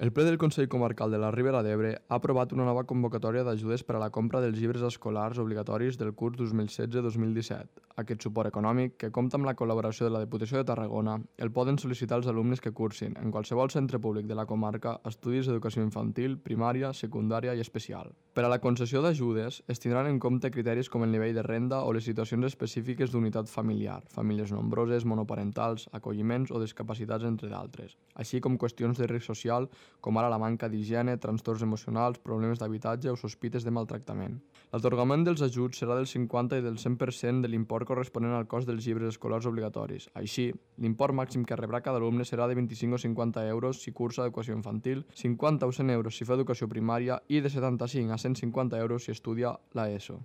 El ple del Consell Comarcal de la Ribera d'Ebre ha aprovat una nova convocatòria d'ajudes per a la compra dels llibres escolars obligatoris del curs 2016-2017. Aquest suport econòmic, que compta amb la col·laboració de la Diputació de Tarragona, el poden sol·licitar els alumnes que cursin, en qualsevol centre públic de la comarca, estudis d'educació infantil, primària, secundària i especial. Per a la concessió d'ajudes, es tindran en compte criteris com el nivell de renda o les situacions específiques d'unitat familiar, famílies nombroses, monoparentals, acolliments o discapacitats, entre d'altres, així com qüestions de risc social, com ara la manca d'higiene, trastorns emocionals, problemes d'habitatge o sospites de maltractament. L'atorgament dels ajuts serà del 50 i del 100% de l'import corresponent al cost dels llibres escolars obligatoris. Així, l'import màxim que rebrà cada alumne serà de 25 o 50 euros si cursa educació infantil, 50 o 100 euros si fa educació primària i de 75 a 150 euros si estudia l'ESO.